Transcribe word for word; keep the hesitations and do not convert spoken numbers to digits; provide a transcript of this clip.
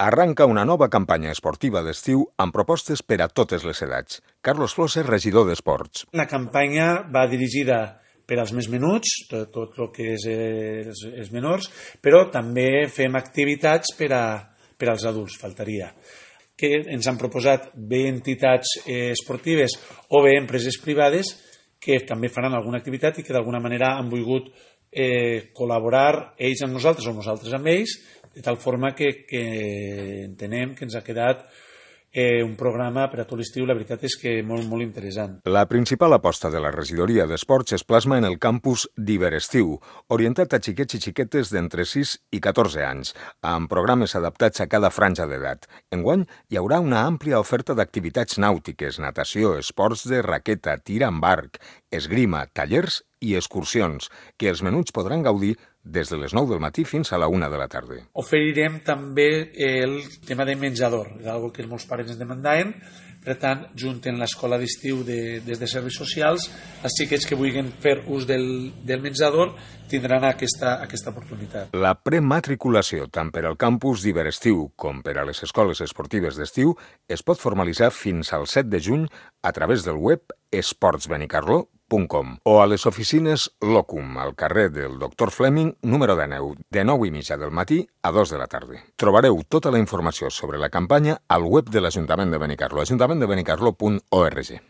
Arranca una nova campanya esportiva d'estiu amb propostes per a totes les edats. Carlos Flosser, regidor d'Esports. La campanya va dirigida per als més menuts, tot, tot el que és els, els menors, però també fem activitats per, a, per als adults, faltaria. Que ens han proposat bé entitats eh, esportives o bé empreses privades que també faran alguna activitat i que d'alguna manera han volgut eh, col·laborar ells amb nosaltres o nosaltres amb ells, de tal forma que, que entenem que ens ha quedat eh, un programa per a tot l'estiu, la veritat és que molt, molt interessant. La principal aposta de la regidoria d'Esports es plasma en el campus d'Hiberestiu, orientat a xiquets i xiquetes d'entre sis i catorze anys, amb programes adaptats a cada franja d'edat. Enguany hi haurà una àmplia oferta d'activitats nàutiques, natació, esports de raqueta, tir amb arc, esgrima, tallers i excursions, que els menuts podran gaudir des de les nou del matí fins a la una de la tarda. Oferirem també el tema de menjador, algo que molts pares ens demandaven. Per tant, junten l'escola d'estiu de, des de serveis socials, els xiquets que vulguin fer ús del, del menjador tindran aquesta, aquesta oportunitat. La prematriculació, tant per al campus d'Hiberestiu com per a les escoles esportives d'estiu, es pot formalitzar fins al set de juny a través del web esports benicarló punt com o a les oficines Locum, al carrer del doctor Fleming, número dinou, de nou i mitja del matí a dos de la tarda. Trobareu tota la informació sobre la campanya al web de l'Ajuntament de Benicarló, ajuntament de benicarló punt org.